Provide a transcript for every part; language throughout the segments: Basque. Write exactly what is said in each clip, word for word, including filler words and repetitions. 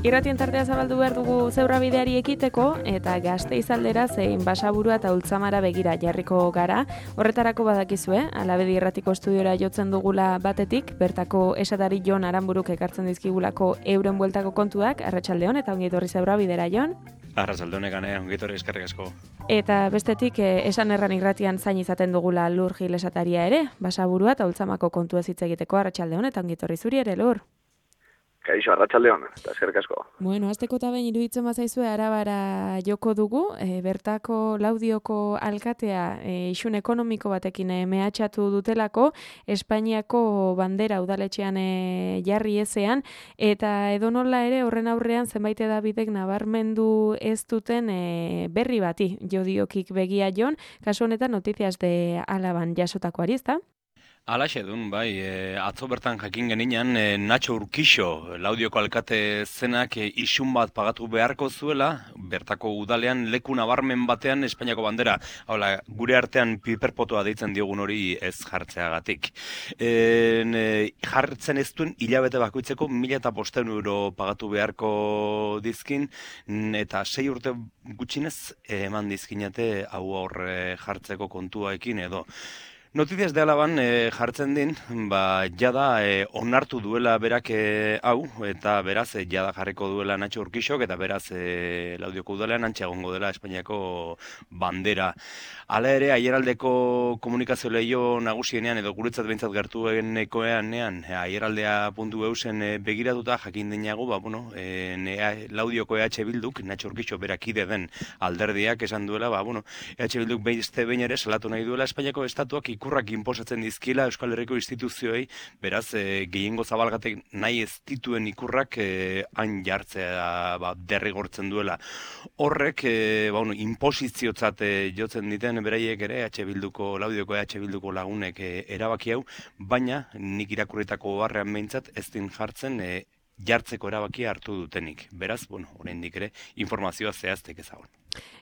Irratien tartea zabaldu behar dugu zeurra bideari ekiteko, eta Gasteiz aldera zein Basaburua eta Ultzamara begira jarriko gara. Horretarako badakizue, Alabedi Irratiko estudiora jotzen dugula batetik, bertako esatari Jon Aranburuk ekartzen dizkigulako euren bueltako kontuak, arratsaldeon eta ongi etorri zeurra bidera, Jon. Arratsaldeon egane, ongi etorri eskerrik asko. Eta bestetik, eh, esan erran irratian zain izaten dugula Lur Gil esataria ere, Basaburua eta Ultzamako kontua hitz egiteko, arratsaldeon eta ongi etorri zuri ere, Lur. Kaixo, arratsaldeon, eta eskerrik asko. Bueno, azteko eta behin iruditzen bazaizue Arabara joko dugu, e, bertako Laudioko alkatea e, isun ekonomiko batekin e, mehatxatu dutelako, Espainiako bandera udaletxean e, jarri ezean, eta edonola ere horren aurrean zenbait edabidek nabarmendu ez duten e, berri bati, jodiokik begia Jon, kasu honetan Noticias de Alaban jasotakoari, ezta? Alaxe dun, bai, e, atzo bertan jakin geninan, e, Nacho Urkixo, Laudioko alkate zenak e, isun bat pagatu beharko zuela, bertako udalean leku nabarmen batean Espainiako bandera. Hala, gure artean piperpotoa deitzen diogun hori ez jartzeagatik. E, e, jartzen ez duen hilabete bakoitzeko mila eta bosteun euro pagatu beharko dizkin, eta sei urte gutxinez e, eman dizkinate hau aurre jartzeko kontuaekin edo. Noticias de Alaban e, jartzen din, ba, jada e, onartu duela berak e, hau, eta beraz e, jada jarriko duela Nacho Urkixok, eta beraz e, Laudioko udalean antxe egongo dela Espainiako bandera. Hala ere, aieraldeko komunikazio lehio nagusienean, edo guretzat behintzat gertu enekoean, aieraldea puntu eusen e, begiratuta jakin dinago, ba, bueno, e, ne, Laudioko E H Bilduk, Nacho Urkixo berakide den alderdiak esan duela, ba, bueno, E H Bilduk behizte behin ere salatu nahi duela Espainiako estatuak ikurrak inposatzen dizkiela Euskal Herriko instituzioei, beraz, e, gehiengo zabalgatek nahi ez dituen ikurrak e, hain jartzea ba, derrigortzen duela. Horrek, e, ba, bueno, inposiziotzat e, jotzen diten beraiek ere, H Bilduko, Laudioko H Bilduko lagunek e, erabaki hau, baina nik irakurritako barrean behintzat ez din jartzen e, jartzeko erabakia hartu dutenik. Beraz, bueno, oraindik ere informazioa zehaztek ezagun.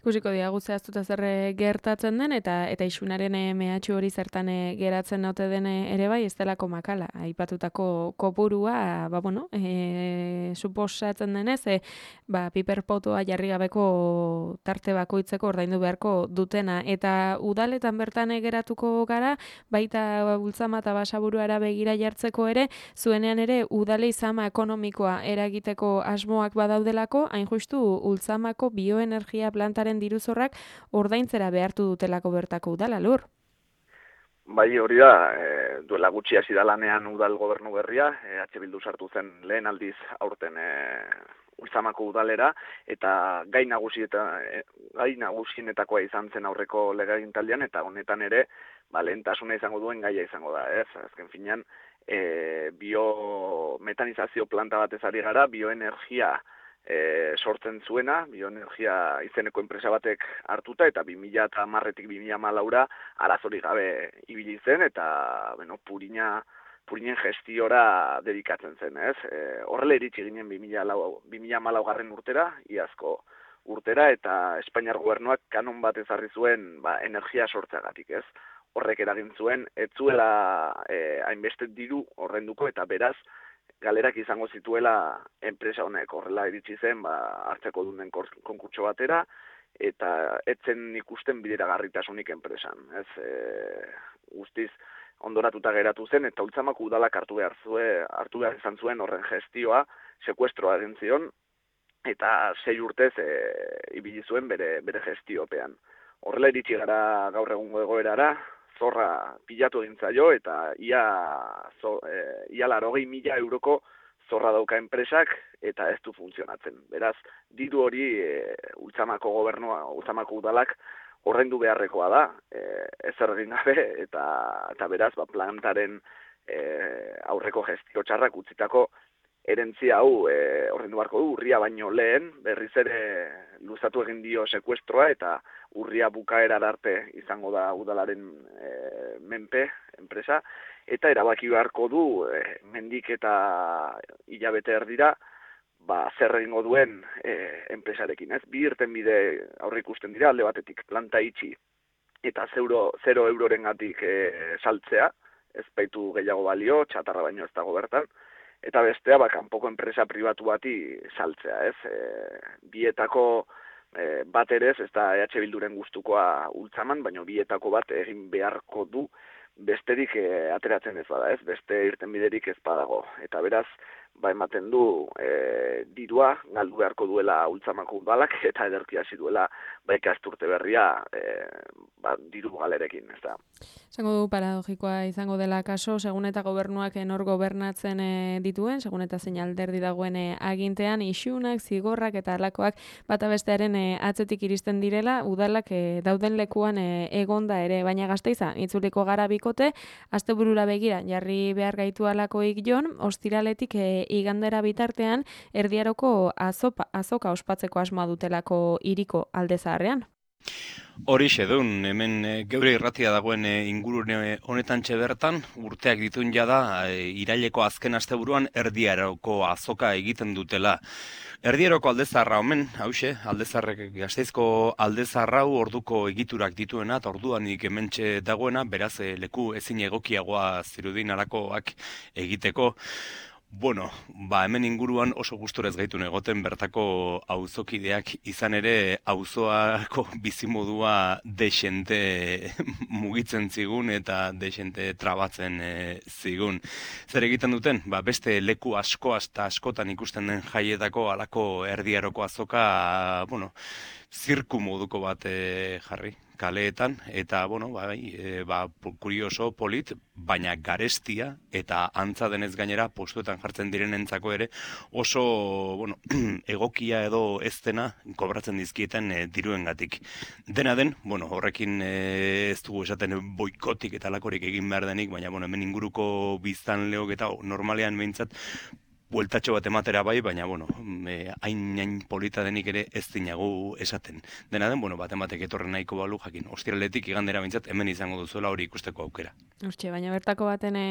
Ikusiko diagu zehaztuta zer gertatzen den, eta eta isunaren mehatxu hori zertan geratzen naute den ere bai, ez delako makala. Aipatutako kopurua, ba, bueno, e, suposatzen denez, e, ba, piperpotoa jarri gabeko tarte bakoitzeko ordaindu beharko dutena. Eta udaletan bertan geratuko gara, baita Ultzama eta Basaburuara begira jartzeko ere, zuenean ere udale izama ekonomikoa eragiteko asmoak badaudelako, hain justu Ultzamako bioenergia plantaren diruzorrak ordaintzera behartu dutelako bertako udala, Lur. Bai, hori da, e, duela gutxi hasi da lanean udal gobernu berria, e, H Bildu sartu zen lehen aldiz aurten e, Ultzamako udalera, eta gai nagusi eta e, gai nagusienetakoa izan zen aurreko legegintzaldian, eta honetan ere, ba, lehentasuna izango duen gaia izango da, ez? Azken finean, e, biometanizazio planta batez ari gara, bioenergia E, sortzen zuena, bioenergia izeneko enpresa batek hartuta, eta bi mila hamarretik bi mila hamalaura arazorik gabe ibili zen, eta bueno, purina, purinen gestiora dedikatzen zen, ez? E, horrela iritsi ginen bi mila hamalau garren urtera, iazko urtera, eta Espainiar gobernuak kanon bat ezarri zuen ba, energia sortzeagatik, ez? Horrek eragin zuen, ez zuela e, hainbeste diru horrenduko, eta beraz, galerak izango zituela enpresa honek, horrela iritsi zen, ba, hartzeko dunen konkurtso batera, eta etzen ikusten bideragarritasunik enpresan. Ez, e, guztiz ondoratuta geratu zen, eta Ultzamako udalak hartu behar zuen, hartu behar izan zuen horren gestioa, sekuestroa egin zion, eta sei urtez e, ibili zuen bere, bere gestiopean. Horrela iritsi gara gaur egungo egoerara, zorra pilatu egin zaio, eta ia, zo, e, ia larogei mila euroko zorra dauka enpresak, eta ez du funtzionatzen. Beraz, diru hori e, Ultzamako gobernua, Ultzamako udalak ordaindu beharrekoa da, e, ezer egin gabe, eta, eta beraz, ba, plantaren e, aurreko gestio txarrak utzitako erentzia hau e, ordaindu beharko du, urria baino lehen, berriz ere luzatu egin dio sekuestroa, eta urria bukaera arte izango da udalaren e, menpe enpresa, eta erabaki beharko du e, mendik eta hilabete erdira, ba, zer egingo duen e, enpresarekin, ez? Bi irtenbide aurre ikusten dira, alde batetik planta itxi eta zero, zero eurorengatik e, saltzea, ez baitu gehiago balio, txatarra baino ez dago bertan, eta bestea ba, kanpoko enpresa pribatu bati saltzea, ez? E, bietako e, bat ere ez da E H Bilduren gustukoa Ultzaman, baina bietako bat egin beharko du besterik e, ateratzen ez bada, ez? Beste irtenbiderik ez badago. Eta beraz, ba ematen du e, dirua galdu beharko duela Ultzamako udalak eta ederki hasi duela ba ikasturte berria e, ba, diru galerekin, ez da. Esango du paradogikoa izango dela kaso, segun eta gobernuak nor gobernatzen e, dituen, segun eta zein alderdi dagoen e, agintean, isunak, zigorrak eta halakoak bata bestearen e, atzetik iristen direla, udalak e, dauden lekuan e, egonda ere, baina Gasteiza, itzuliko gara bikote, asteburura begira, jarri behar gaitu alakoik jon, ostiraletik e, igandera bitartean, erdiaroko azopa, azoka ospatzeko asmoa dutelako hiriko alde zaharrean. Horixe dun, hemen e, geure irratia dagoen e, ingurune honetan bertan urteak ditun jada, e, iraileko azken asteburuan erdiaroko azoka egiten dutela. Erdieroko aldezarra omen, hause, aldezarrek Gasteizko aldezarrau orduko egiturak dituena, eta orduan hementxe dagoena, beraz e, leku ezin egokiagoa zirudin alakoak egiteko. Bueno, ba hemen inguruan oso gusturez gaitun egoten bertako auzokideak izan ere auzoako bizimodua dexente mugitzen zigun eta dexente trabatzen e, zigun. Zer egiten duten? Ba beste leku asko eta askotan ikusten den jaietako halako erdiaroko azoka, bueno, zirku moduko bat e, jarri kaleetan, eta, bueno, bai, e, ba, kurioso, polit, baina garestia, eta antza denez gainera, postuetan jartzen direnentzako ere, oso, bueno, egokia edo ez dena, kobratzen dizkieten e, diruengatik. Dena den, bueno, horrekin e, ez dugu esaten boikotik eta lakorik egin behar denik, baina, bueno, hemen inguruko biztanleok eta normalean behintzat, bueltatxo bat ematera bai, baina, bueno, e, hain, hain polita denik ere ez dinagu esaten. Dena den, bueno, bat ematek etorren nahiko balu, jakin, ostiraletik igandera bintzat, hemen izango duzuela hori ikusteko aukera. Hortxe, baina bertako baten e,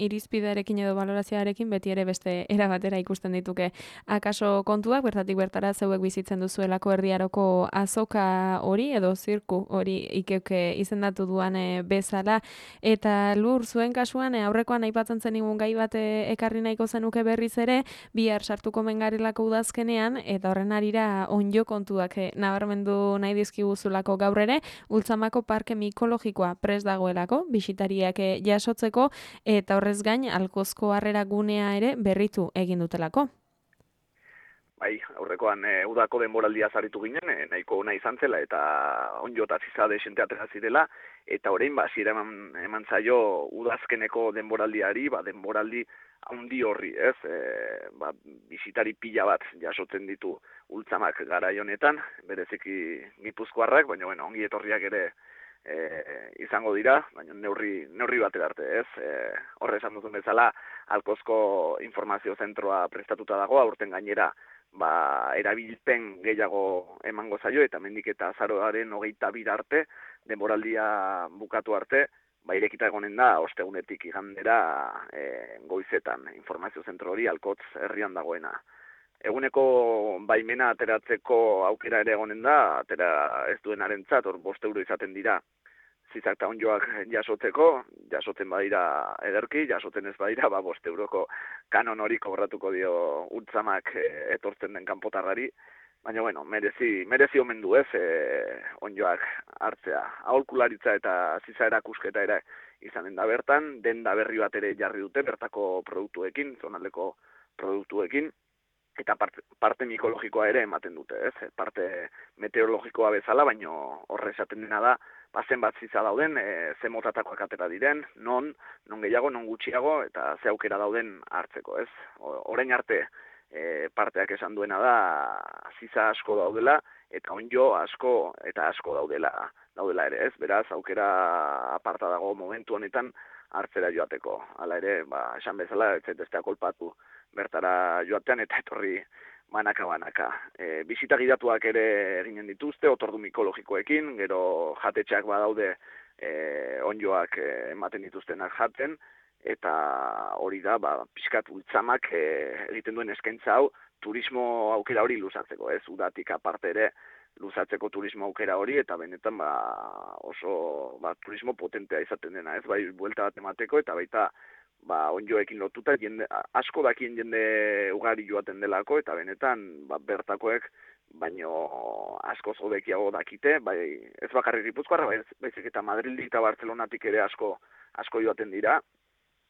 irizpidearekin edo balorazioarekin beti ere beste era batera ikusten dituke akaso kontuak, bertatik bertara zeuek bizitzen duzuelako erdiaroko azoka hori edo zirku hori ikeuke izendatu duan e, bezala, eta lur zuen kasuan e, aurrekoan aipatzen zen igun gai bat e, ekarri nahiko zenuke berriz ere, bihar sartuko mengarilako udazkenean, eta horren arira onjo kontuak e, nabarmendu nahi dizkiguzulako gaur ere, Ultzamako parke mikologikoa prest dagoelako, bisitariak e, jasotzeko, eta horrez gain, Alkozko harrera gunea ere berritu egin dutelako. Bai, aurrekoan e, udako denboraldia zaritu ginen, e, nahiko ona izan zela, eta onjo eta zizade esente atera zirela, eta orain ba, zira eman, eman zaio udazkeneko denboraldiari, ba, denboraldi handi horri, ez? E, ba, bisitari pila bat jasotzen ditu Ultzamak garai honetan, bereziki Gipuzkoarrak, baina bueno, ongi etorriak ere e, izango dira, baina neurri, neurri batera arte, ez? E, horre esan duzun bezala, Alkozko informazio zentroa prestatuta dago, aurten gainera ba, erabilpen gehiago emango zaio, eta mendik eta azaroaren hogeita bir arte, denboraldia bukatu arte, ba, irekita egonen da, ostegunetik igandera e, goizetan, informazio zentro hori Alkotz herrian dagoena. Eguneko baimena ateratzeko aukera ere egonen da, atera ez duenarentzat, hor bost euro izaten dira, zizak eta onjoak jasotzeko, jasotzen badira ederki, jasotzen ez badira, ba, bost euroko kanon hori kobratuko dio Ultzamak e, etortzen den kanpotarrari, baina, bueno, merezi, merezi omen du ez, e, onjoak hartzea. Aholkularitza eta ziza erakusketa ere izanen da bertan, denda berri bat ere jarri dute bertako produktuekin, zonaldeko produktuekin, eta parte, parte mikologikoa ere ematen dute, ez? Parte meteorologikoa bezala, baino horre esaten dena da, bazen bat ziza dauden, e, ze motatakoak atera diren, non, non gehiago, non gutxiago, eta ze aukera dauden hartzeko, ez? Orain arte, E, parteak esan duena da ziza asko daudela eta onjo asko eta asko daudela daudela ere, ez? Beraz, aukera aparta dago momentu honetan hartzera joateko. Hala ere, ba, esan bezala, ez zaiteztea kolpatu bertara joatean eta etorri banaka-banaka. E, bisita gidatuak ere eginen dituzte, otordu mikologikoekin, gero jatetxeak badaude e, onjoak e, ematen dituztenak jaten, eta hori da, ba, pixkat Ultzamak e, egiten duen eskaintza hau, turismo aukera hori luzatzeko, ez? Udatik aparte ere luzatzeko turismo aukera hori, eta benetan ba, oso ba, turismo potentea izaten dena, ez? Bai, buelta bat emateko, eta baita ba, onjoekin lotuta, jende, asko dakien jende ugari joaten delako, eta benetan, ba, bertakoek, baino asko zodekiago dakite, bai, ez bakarrik Gipuzkoarra, bai, baizik eta Madrildik eta Bartzelonatik ere asko asko joaten dira,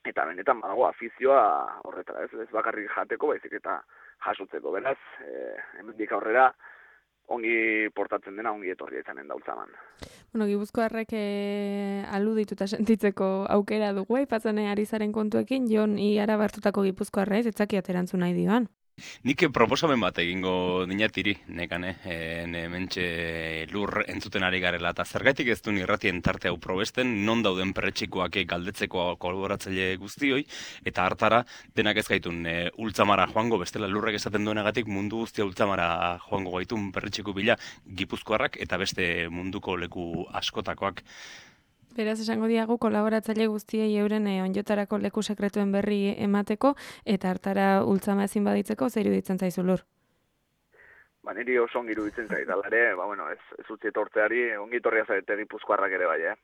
eta benetan badago afizioa horretara, ez, ez bakarrik jateko, baizik eta jasotzeko, beraz, e, hemendik aurrera, ongi portatzen dena, ongi etorria izanen da Ultzaman. Bueno, Gipuzkoarrek e, aludituta sentitzeko aukera dugu, aipatzen ari zaren kontuekin, Jon iara bartutako Gipuzkoarra ez, etzakiat erantzun nahi dioan. Nik proposamen bat egingo dinatiri, nekane, e, ne mentxe lur entzuten ari garela, eta zergaitik ez duen irratien tarte hau probesten, non dauden perretxikoak galdetzeko kolaboratzaile guztioi, eta hartara denak ez gaitun e, Ultzamara joango, bestela lurrek esaten duenagatik mundu guztia Ultzamara joango gaitun perretxiko bila Gipuzkoarrak eta beste munduko leku askotakoak. Beraz, esango diagu, kolaboratzaile guztiei euren e, onjotarako leku sekretuen berri emateko, eta hartara Ultzama ezin baditzeko, zer iruditzen zaizu lur? Ba, niri oso ongi iruditzen zait, ere, ba, bueno, ez, ez utzi etortzeari, ongi etorria zarete Gipuzkoarrak ere bai, eh?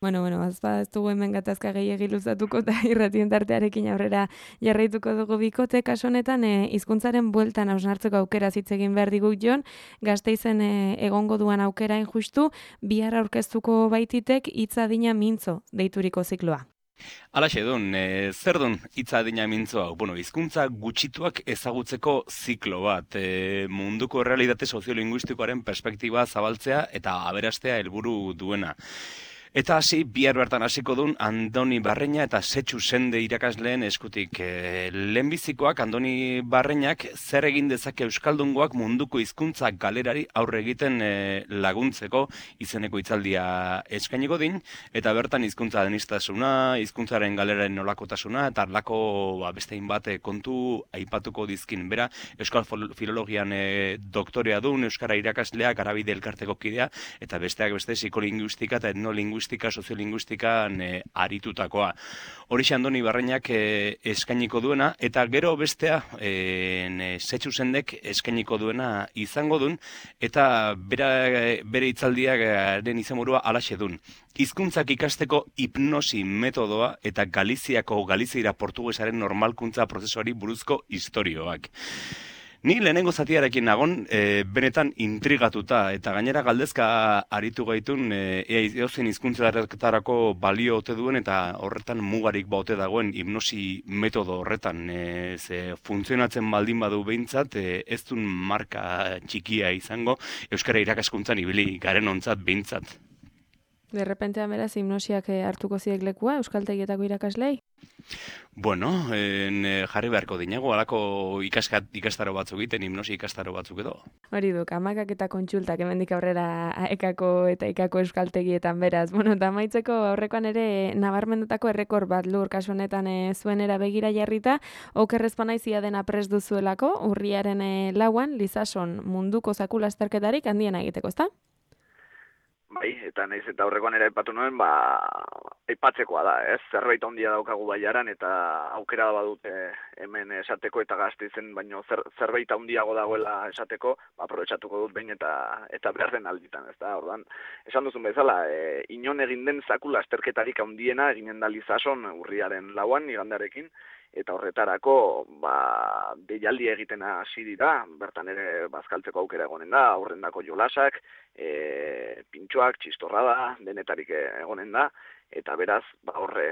Bueno, bueno, azpa ez dugu hemen gatazka gehiegi luzatuko eta irratien tartearekin aurrera jarraituko dugu bikote. Kasu honetan, e, hizkuntzaren bueltan hausnartzeko aukera hitz egin behar digu Jon, Gasteizen e, egongo duan aukera injustu, bihar aurkeztuko baititek hitza adina mintzo deituriko zikloa. Alaxe dun, e, zer dun hitza adina mintzo hau? Bueno, hizkuntza gutxituak ezagutzeko ziklo bat, e, munduko errealitate soziolinguistikoaren perspektiba zabaltzea eta aberastea helburu duena. Eta hasi, bihar bertan hasiko dun Andoni Barreña eta Setxu Sende irakasleen eskutik. E, lehenbizikoak Andoni Barreñak zer egin dezake euskaldungoak munduko hizkuntza galerari aurre egiten e, laguntzeko izeneko hitzaldia eskainiko din, eta bertan hizkuntza denistasuna, hizkuntzaren galeraren nolakotasuna, eta arlako ba, bestein bat kontu aipatuko dizkin. Bera, Euskal Filologian e, doktorea dun, Euskara irakasleak, Garabide elkarteko kidea, eta besteak beste psikolinguistika eta etnolinguistika soziolinguistikan e, aritutakoa. Horixe Andoni Barreñak e, eskainiko duena, eta gero bestea e, Setxu Sendek eskainiko duena izango dun, eta bera, bere hitzaldiaren izenburua halaxe dun. Hizkuntzak ikasteko hipnosi metodoa eta Galiziako Galiziera portugesaren normalkuntza prozesuari buruzko istorioak. Ni lehenengo zatiarekin nagon, e, benetan intrigatuta, eta gainera galdezka aritu gaitun, e, ea eozen hizkuntzatarako balio ote duen, eta horretan mugarik baute dagoen hipnosi metodo horretan. E, ze funtzionatzen baldin badu behintzat, e, ez dun marka txikia izango, Euskara irakaskuntzan ibili garen ontzat behintzat. De repentean beraz, hipnosiak hartuko ziek lekua, euskaltegietako irakaslei? Bueno, en, jarri beharko dinago, alako ikaskat, ikastaro batzuk egiten, hipnosi ikastaro batzuk edo. Hori duk, amakak eta kontsultak hemendik aurrera ekako eta ikako euskaltegietan beraz. Bueno, eta maitzeko aurrekoan ere nabarmendutako errekor bat lur kasu honetan e, zuenera begira jarrita, okerrezpanaizia dena prest duzuelako, urriaren e, lauan, Lizason munduko zakula azterketarik handiena egiteko, ezta? Bai, eta naiz eta aurrekoan ere aipatu nuen, ba, aipatzekoa da, ez? Zerbait handia daukagu baiaran eta aukera badute hemen esateko eta Gasteizen, baino zer, zerbait handiago dagoela esateko, ba, aprobetxatuko dut behin eta eta behar den alditan, ez da? Ordan, esan duzun bezala, e, inon egin den zakula azterketarik handiena eginen da Lizason urriaren lauan, igandarekin, eta horretarako ba, deialdi egiten hasi dira, bertan ere bazkaltzeko aukera egonen da, aurrendako jolasak, e, pintxoak, txistorrada, denetarik egonen da, eta beraz, ba, horre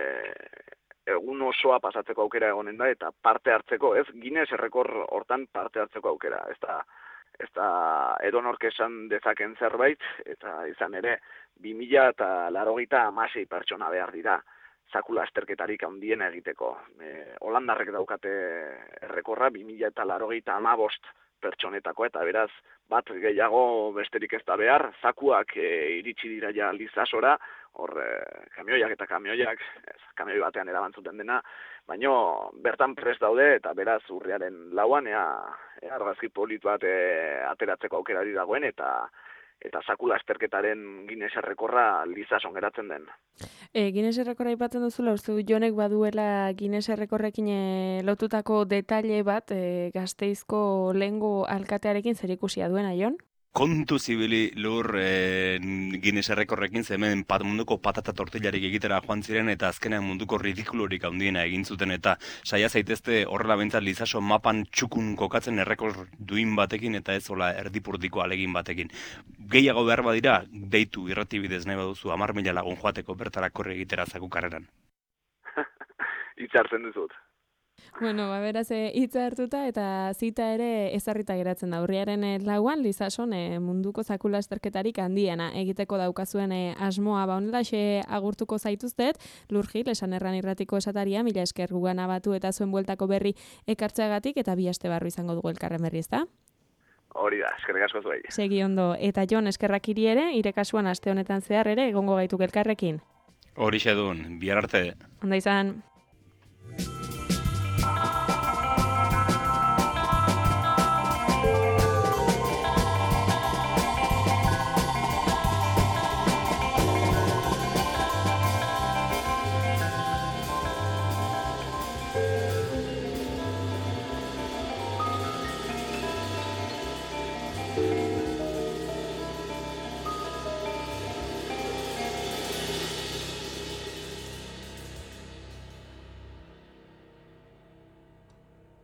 egun osoa pasatzeko aukera egonen da, eta parte hartzeko, ez, Guinness errekor hortan parte hartzeko aukera, ez da, ez da edonork esan dezaken zerbait, eta izan ere, bi mila eta laurogeita hamasei pertsona behar dira, zakula azterketarik handiena egiteko. E, Holandarrek daukate errekorra, bi mila eta laurogeita hamabost pertsonetako, eta beraz, bat gehiago besterik ez da behar, zakuak e, iritsi dira ja Lizasora, hor e, kamioiak eta kamioiak, ez, kamioi batean erabantzuten dena, baino bertan prest daude, eta beraz urriaren lauan, ea, ea argazki polit bat e, ateratzeko aukerari dagoen, eta eta zakula azterketaren Guinness errekorra Lizason geratzen den. E, Guinness errekorra aipatzen duzula, uste du Jonek baduela Guinness errekorrekin e, lotutako detaile bat e, Gasteizko lehengo alkatearekin zerikusia duena, Jon? Kontu zibili lur e, Guinness errekorrekin ze hemen pat, munduko patata tortillarik egitera joan ziren eta azkenean munduko ridikulorik handiena egin zuten eta saia zaitezte horrela behintzat lizaso mapan txukun kokatzen errekor duin batekin eta ez hola erdipurdiko alegin batekin. Gehiago behar badira, deitu irratibidez nahi baduzu hamar mila lagun joateko bertara korri egitera zakukarreran. Itxartzen duzut. Bueno, ba, beraz, hitza hartuta eta zita ere ezarrita geratzen da. Urriaren eh, lauan, Lizason eh, munduko zakula esterketarik handiena egiteko daukazuen eh, asmoa ba honelaxe agurtuko zaituztet. Lurgil, esan erran irratiko esataria, mila esker gugana batu eta zuen bueltako berri ekartzeagatik eta bi aste barru izango dugu elkarren berri, ezta? Hori da, eskerrik asko zuei. Segi ondo, eta Jon eskerrak hiri ere, ire kasuan aste honetan zehar ere egongo gaituk elkarrekin. Horixe dun, bihar arte. Onda izan. Thank you.